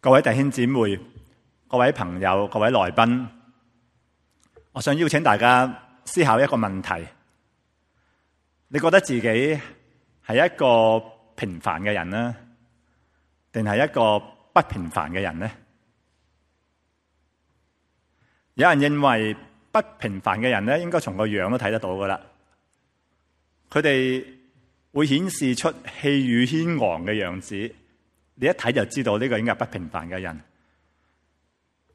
各位弟兄姊妹、各位朋友、各位來賓，我想邀請大家思考一個問題：你覺得自己係一個平凡嘅人呢，定係一個不平凡嘅人呢？有人認為不平凡嘅人咧，應該從個樣都睇得到噶啦。佢哋會顯示出氣宇軒昂嘅樣子，你一睇就知道呢個應該係不平凡嘅人。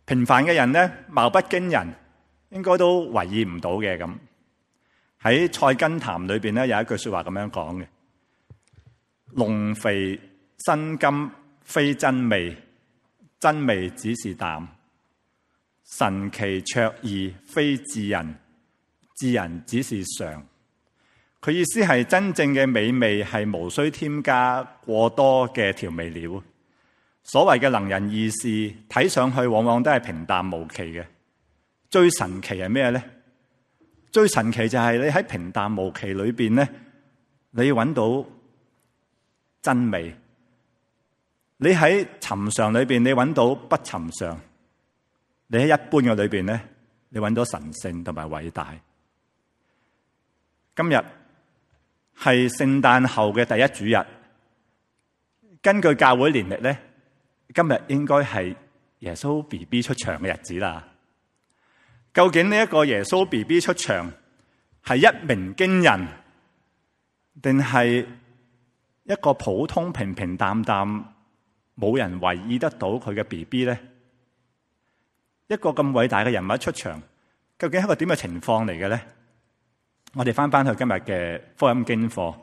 平凡嘅人咧，貌不驚人，應該都為意唔到嘅咁。喺《菜根譚》裏邊咧，有一句說話咁樣講嘅：龍肥身金非真美，真美只是淡。神奇卓異非智人，智人只是常。佢意思係真正嘅美味係無需添加過多嘅調味料。所謂嘅能人異士，睇上去往往都係平淡無奇嘅。最神奇係咩咧？最神奇就係你喺平淡無奇裏邊咧，你揾到真美。你喺尋常裏邊，你揾到不尋常。你喺一般嘅裏邊咧，你揾到神聖同埋偉大。今日係聖誕後嘅第一主日，根據教會年曆咧，今日應該係耶穌 BB 出場嘅日子啦。究竟呢一個耶穌 BB 出場係一鳴驚人，定係一個普通平平淡淡冇人為意得到佢嘅 BB 咧？一個咁偉大嘅人物出場，究竟係一個點嘅情況嚟嘅咧？我哋翻去今日嘅福音經課，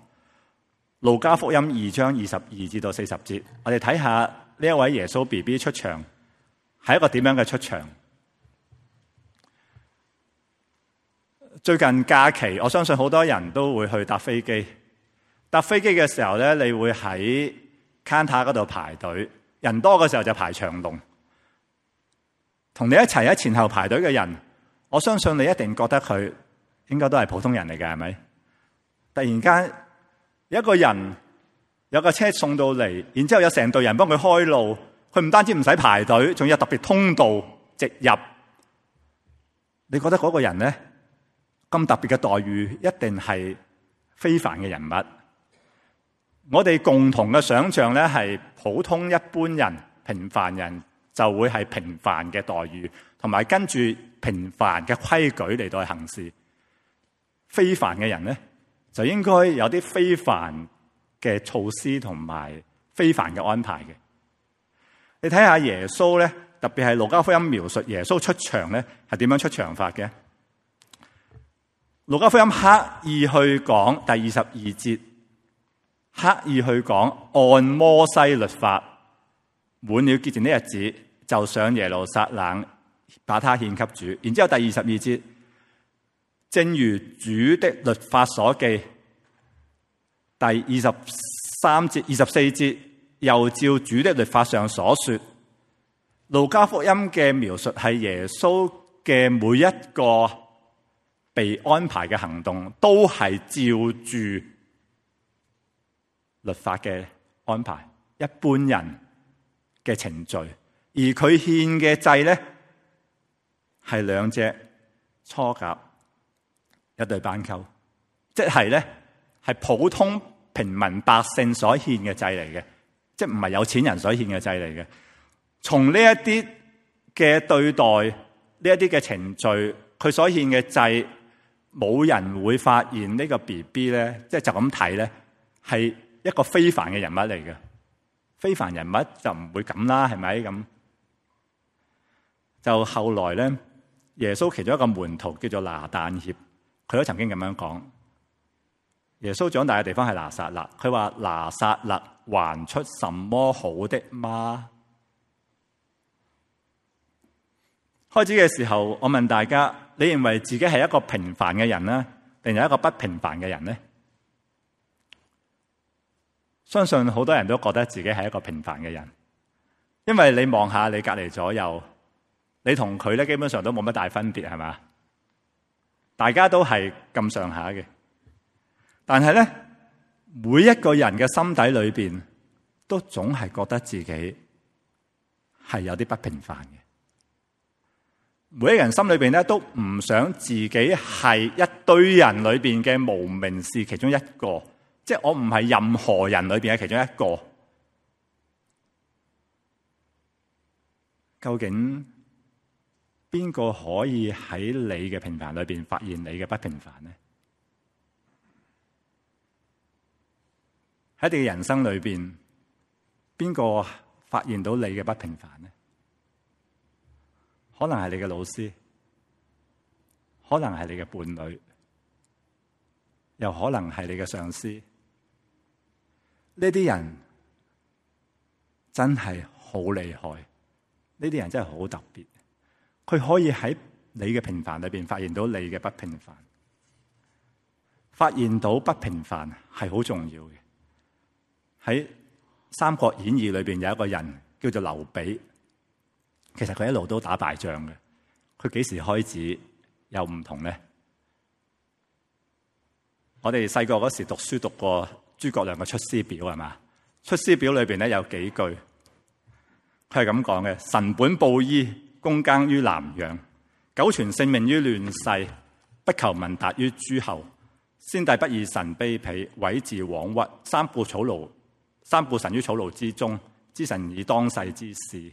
路加福音2章22至到40節，我哋睇下呢一位耶穌 BB 出場係一個點樣嘅出場。最近假期，我相信好多人都會去搭飛機。搭飛機嘅時候咧，你會喺 counter 嗰度排隊，人多嘅時候就排長龍。同你一齊喺前後排隊嘅人，我相信你一定覺得佢應該都係普通人嚟嘅，係咪？突然間有一個人有架車送到嚟，然之後有成隊人幫佢開路，佢唔單止唔使排隊，仲有特別通道直入。你覺得嗰個人咧，咁特別嘅待遇，一定係非凡嘅人物。我哋共同嘅想象咧，係普通一般人、平凡人就會係平凡嘅待遇，同埋跟住平凡嘅規矩嚟到去行事。非凡嘅人咧，就應該有啲非凡嘅措施同埋非凡嘅安排嘅。你睇下耶穌咧，特別係路加福音描述耶穌出場咧，係點樣出場法嘅？路加福音刻意去講第22節，刻意去講按摩西律法，滿了潔淨的日子，就上耶路撒冷把他獻給主。然之後第22節，正如主的律法所記。第23節、24節，又照主的律法上所說。路加福音嘅描述係耶穌嘅每一個被安排嘅行動，都係照住律法嘅安排，一般人嘅程序。而佢獻嘅祭咧，係2隻雛鴿，一對斑鳩，即係咧係普通平民百姓所獻嘅祭嚟嘅，即係唔係有錢人所獻嘅祭嚟嘅。從呢一啲嘅對待，呢一啲嘅程序，佢所獻嘅祭，冇人會發現呢個 BB 咧，即係就咁睇咧，係一個非凡嘅人物嚟嘅。非凡人物就唔會咁啦，係咪咁？就後來咧，耶穌其中一個門徒叫做拿但協，佢都曾經咁樣講。耶穌長大嘅地方係拿撒勒，佢話拿撒勒還出什麼好的嗎？開始嘅時候，我問大家，你認為自己係一個平凡嘅人呢，定係一個不平凡嘅人呢？相信好多人都覺得自己係一個平凡嘅人，因為你望下你隔籬左右，你同佢咧基本上都冇乜大分別，係嘛？大家都係咁上下嘅，但係咧，每一個人嘅心底裏邊都總係覺得自己係有啲不平凡嘅。每一個人心裏邊咧都唔想自己係一堆人裏邊嘅無名氏其中一個，即係我唔係任何人裏邊嘅其中一個。究竟邊個可以喺你嘅平凡裏邊發現你嘅不平凡呢？喺你嘅人生裏邊，邊個發現到你嘅不平凡呢？可能係你嘅老師，可能係你嘅伴侶，又可能係你嘅上司。呢啲人真係好厲害，呢啲人真係好特別。佢可以喺你嘅平凡裏邊發現到你嘅不平凡。發現到不平凡係好重要嘅。喺《三國演義》裏邊有一個人叫做劉備。其實佢一路都打敗仗嘅，佢幾時開始有唔同呢？我哋細個嗰時讀書讀過諸葛亮嘅《出師表》係嘛？《出師表》裏邊咧有幾句，佢係咁講嘅：臣本布衣，躬耕於南陽，久存性命於亂世，不求聞達於諸侯。先帝不以臣卑鄙，委自枉屈，三顧臣於草廬之中，知臣以當世之事。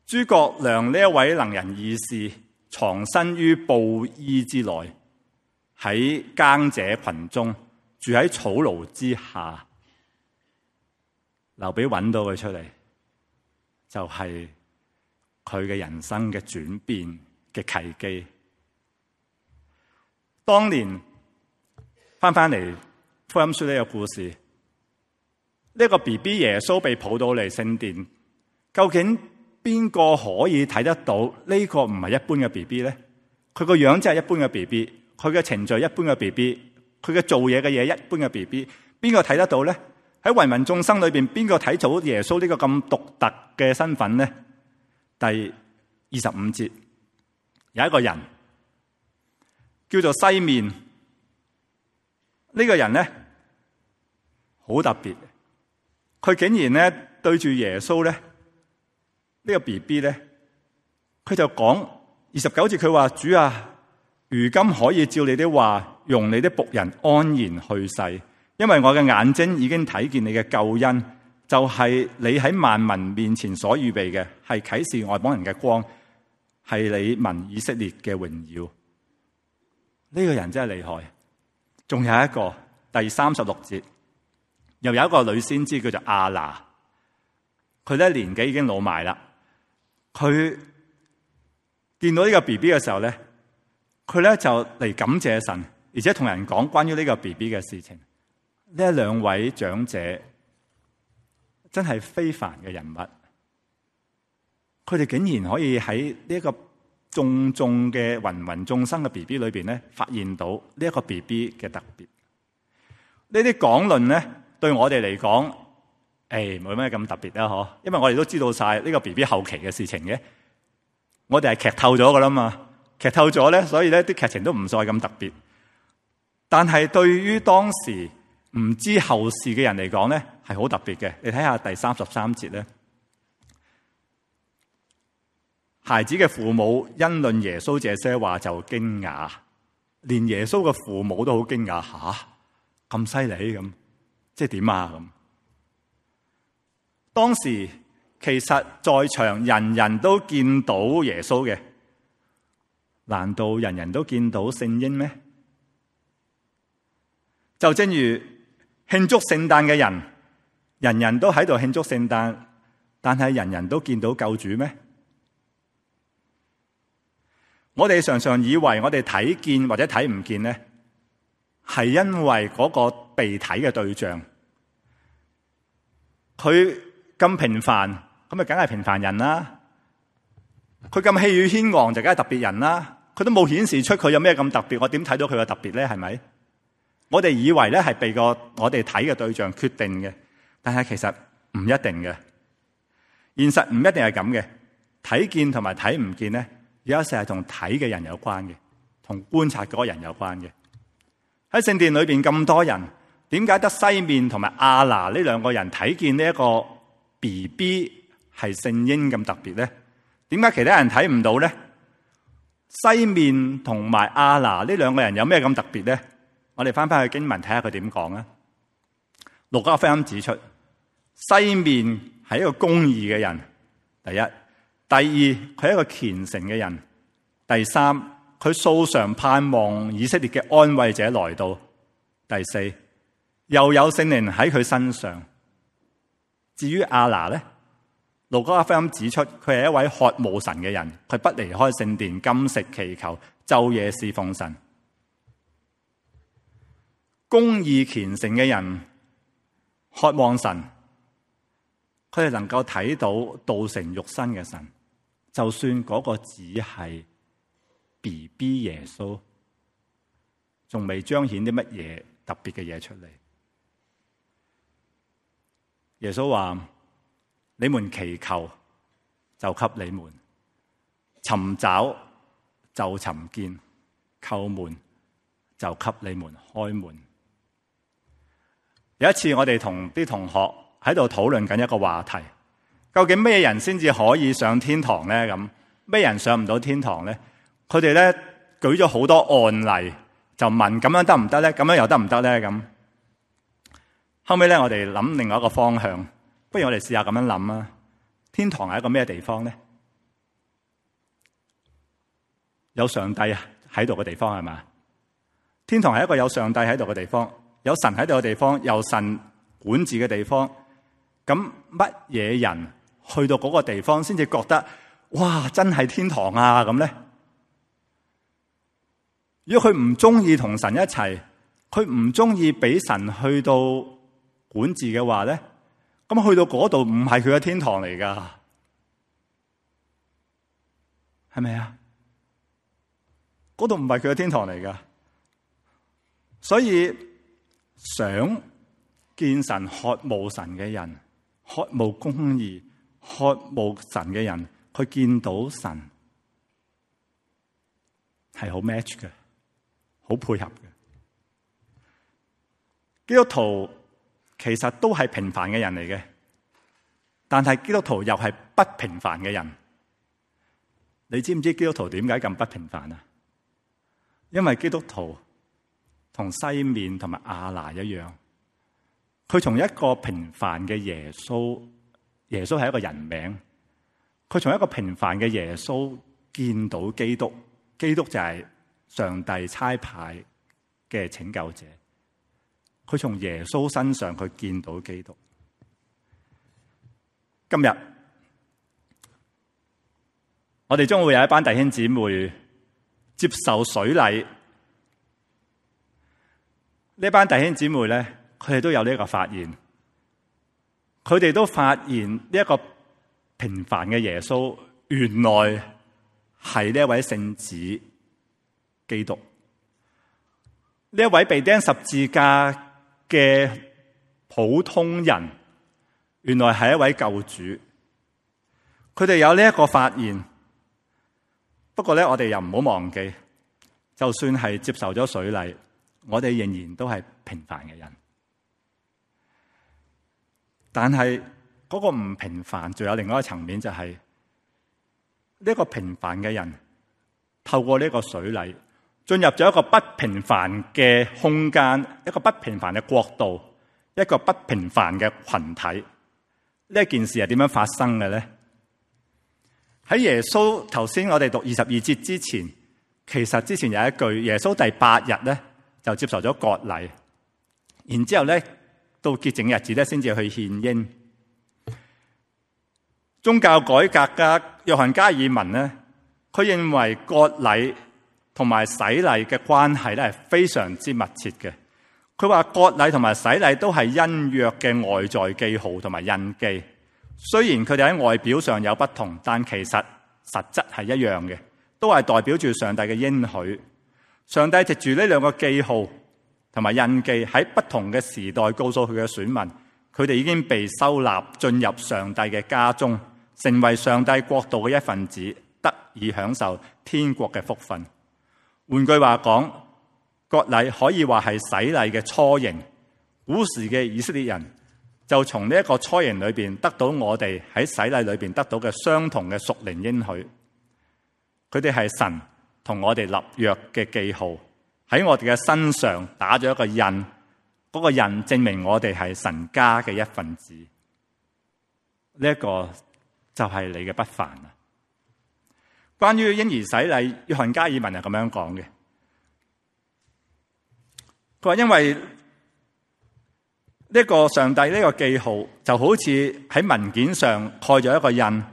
諸葛亮呢一位能人異士，藏身於布衣之內，喺耕者群中，住喺草廬之下。劉備揾到佢出嚟，就係佢嘅人生嘅轉變嘅契機。當年翻嚟福音書呢個故事，呢個 BB 耶穌被抱到嚟聖殿，究竟邊個可以睇得到呢個唔係一般嘅 BB 咧？佢個樣真係一般嘅 BB， 佢嘅程序一般嘅 BB， 佢嘅做嘢嘅嘢一般嘅 BB， 邊個睇得到咧？喺芸芸眾生裏邊，邊個睇到耶穌呢個咁獨特嘅身份咧？第25節有一個人叫做西面，呢個人咧好特別，佢竟然咧對住耶穌咧。呢個 BB 咧，佢就講29節，佢話：主啊，如今可以照你的話，容你的僕人安然去世，因為我嘅眼睛已經睇見你嘅救恩，就係你喺萬民面前所預備嘅，係啟示外邦人嘅光，係你民以色列嘅榮耀。呢個人真係厲害。仲有一個第36節，又有一個女先知叫做亞拿，佢咧年紀已經老埋啦。佢見到呢個 BB 嘅時候咧，佢咧就嚟感謝神，而且同人講關於呢個 BB 嘅事情。呢兩位長者真係非凡嘅人物，佢哋竟然可以喺呢一個眾嘅芸芸眾生嘅 BB 裏邊咧，發現到呢一個 BB 嘅特別。呢啲講論咧，對我哋嚟講，冇咩咁特別啦，嗬！因為我哋都知道晒呢個 BB 後期嘅事情嘅，我哋係劇透咗噶啦嘛，劇透咗咧，所以咧啲劇情都唔再咁特別。但係對於當時唔知後事嘅人嚟講咧，係好特別嘅。你睇下第33節咧，孩子嘅父母因論耶穌這些話就驚訝，連耶穌嘅父母都好驚訝，吓，咁犀利咁，即係點啊咁？當時其實在場人人都見到耶穌嘅，難道人人都見到聖嬰咩？就正如慶祝聖誕嘅人，人人都喺度慶祝聖誕，但係人人都見到救主咩？我哋常常以為我哋睇見或者睇唔見咧，係因為嗰個被睇嘅對象，佢咁平凡，咁咪梗係平凡人啦。佢咁氣宇軒昂，就梗係特別人啦。佢都冇顯示出佢有咩咁特別，我點睇到佢嘅特別咧？係咪？我哋以為咧係被我哋睇嘅對象決定嘅，但係其實唔一定嘅。現實唔一定係咁嘅。睇見同埋睇唔見咧，有時係同睇嘅人有關嘅，同觀察嗰個人有關嘅。喺聖殿裏邊咁多人，點解得西面同埋亞拿呢兩個人睇見呢一個 BB 係聖嬰咁特別咧？點解其他人睇唔到咧？西面同埋亞拿呢兩個人有咩咁特別咧？我哋翻去經文睇下佢點講啊。路加福音指出，西面係一個公義嘅人，第一；第二，佢係一個虔誠嘅人；第三，佢素常盼望以色列嘅安慰者來到；第四，又有聖靈喺佢身上。至於亞拿咧，路加福音指出佢係一位渴慕神嘅人，佢不離開聖殿，禁食祈求，晝夜侍奉神。公義虔誠嘅人渴望神，佢哋能夠睇到道成肉身嘅神，就算嗰個只係 BB 耶穌，仲未彰顯啲乜嘢特別嘅嘢出嚟。耶穌話：你們祈求，就給你們；尋找，就尋見；叩門，就給你們開門。有一次我哋同啲同學喺度討論緊一個話題，究竟咩人先至可以上天堂咧？咁咩人上唔到天堂咧？佢哋咧舉咗好多案例，就問咁樣得唔得咧？咁樣又得唔得咧？咁後尾咧，我哋諗另外一個方向，不如我哋試下咁樣諗啊！天堂係一個咩地方咧？有上帝喺度嘅地方係嘛？天堂係一個有上帝喺度嘅地方。有神喺度嘅地方，有神管治嘅地方，咁乜嘢人去到嗰個地方先至覺得哇真係天堂啊咁咧？如果佢唔中意同神一齊，佢唔中意俾神去到管治嘅話咧，咁去到嗰度唔係佢嘅天堂嚟噶，係咪啊？嗰度唔係佢嘅天堂嚟噶，所以想見神、渴慕神嘅人，渴慕公義、渴慕神嘅人，佢見到神係好 match 嘅，好配合嘅。基督徒其實都係平凡嘅人嚟嘅，但係基督徒又係不平凡嘅人。你知唔知基督徒點解咁不平凡啊？因為基督徒同西面同埋亞拿一樣，佢從一個平凡嘅耶穌，耶穌係一個人名，佢從一個平凡嘅耶穌見到基督，基督就係上帝差派嘅拯救者，佢從耶穌身上佢見到基督。今日我哋將會有一班弟兄姊妹接受水禮。呢班弟兄姊妹咧，佢哋都有呢一個發現，佢哋都發現呢一個平凡嘅耶穌，原來係呢一位聖子基督，呢一位被釘十字架嘅普通人，原來係一位救主。佢哋有呢一個發現，不過咧，我哋又唔好忘記，就算係接受咗水禮，我哋仍然都係平凡嘅人，但係嗰個唔平凡，仲有另外一個層面，就係呢個平凡嘅人透過呢個水禮進入咗一個不平凡嘅空間，一個不平凡嘅國度，一個不平凡嘅群體。呢件事係點樣發生嘅咧？喺耶穌頭先我哋讀22節之前，其實之前有一句，耶穌第8日咧就接受咗割禮，然之後咧到潔淨日子咧先至去獻嬰。宗教改革家約翰加爾文咧，佢認為割禮同埋洗禮嘅關係咧係非常之密切嘅。佢話割禮同埋洗禮都係恩約嘅外在記號同埋印記，雖然佢哋喺外表上有不同，但其實實質係一樣嘅，都係代表住上帝嘅應許。上帝藉住呢兩個記號同埋印記，喺不同嘅時代告訴佢嘅選民，佢哋已經被收納進入上帝嘅家中，成為上帝國度嘅一份子，得以享受天國嘅福分。換句話講，割禮可以話係洗禮嘅雛形。古時嘅以色列人就從呢一個初型裏邊得到我哋喺洗禮裏邊得到嘅相同嘅屬靈應許。佢哋係神同我哋立約嘅記號，喺我哋嘅身上打咗一個印，嗰個印證明我哋係神家嘅一份子。呢一個就係你嘅不凡啊！關於嬰兒洗禮，約翰加爾文係咁樣講嘅。佢話因為呢個上帝呢個記號就好似喺文件上蓋咗一個印，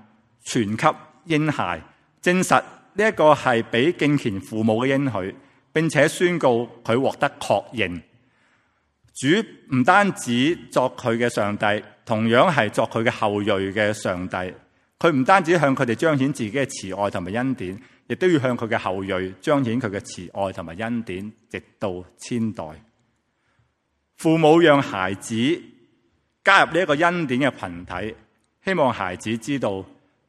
傳給嬰孩，證實呢一個係俾敬虔父母嘅應許，並且宣告佢獲得確認。主唔單止作佢嘅上帝，同樣係作佢嘅後裔嘅上帝。佢唔單止向佢哋彰顯自己嘅慈愛同埋恩典，亦都要向佢嘅後裔彰顯佢嘅慈愛同埋恩典，直到千代。父母讓孩子加入呢一個恩典嘅群體，希望孩子知道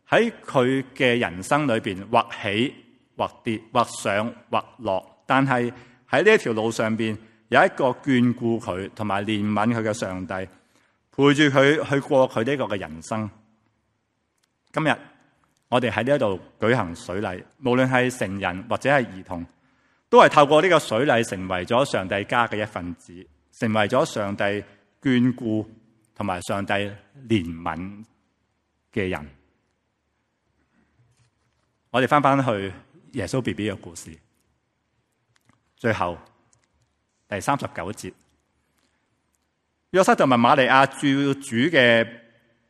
喺佢嘅人生裏邊，或起或跌，或上或落，但係喺呢一條路上邊有一個眷顧佢同埋憐憫佢嘅上帝，陪住佢去過佢呢個嘅人生。今日我哋喺呢一度舉行水禮，無論係成人或者係兒童，都係透過呢個水禮成為咗上帝家嘅一份子，成為咗上帝眷顧同埋上帝憐憫嘅人。我哋翻去耶穌 BB 嘅故事，最後第39節，約瑟就問瑪利亞照主嘅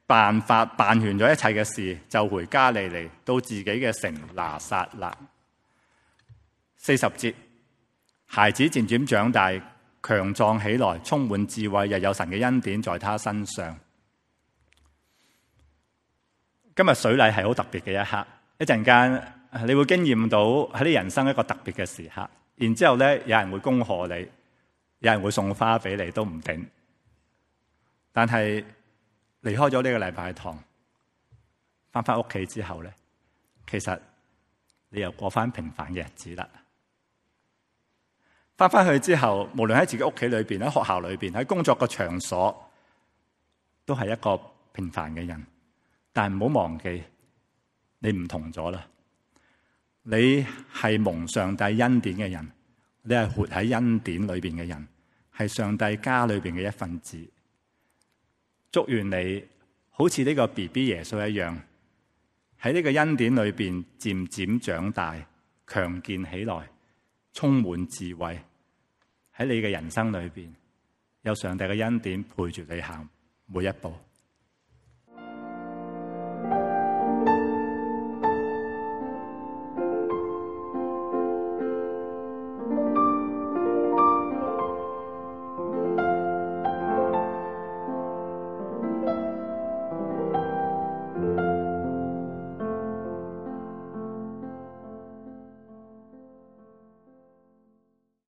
辦法辦完咗一切嘅事，就回加利利，到自己嘅城拿撒勒。40節，孩子漸漸長大，強壯起來，充滿智慧，又有神嘅恩典在他身上。今日水禮係好特別嘅一刻，一陣間你會經驗到喺你人生一個特別嘅時刻。然之後咧，有人會恭賀你，有人會送花俾你，都唔定。但係離開咗呢個禮拜堂，翻屋企之後咧，其實你又過翻平凡嘅日子啦。翻去之後，無論喺自己屋企裏邊、喺學校裏邊、喺工作嘅場所，都係一個平凡嘅人。但係唔好忘記，你唔同咗啦。你係蒙上帝恩典嘅人，你係活喺恩典裏邊嘅人，係上帝家裏邊嘅一份子。祝願你好似呢個 BB 耶穌一樣，喺呢個恩典裏邊漸漸長大，強健起來，充滿智慧。喺你嘅人生裏邊，有上帝嘅恩典陪住你行每一步。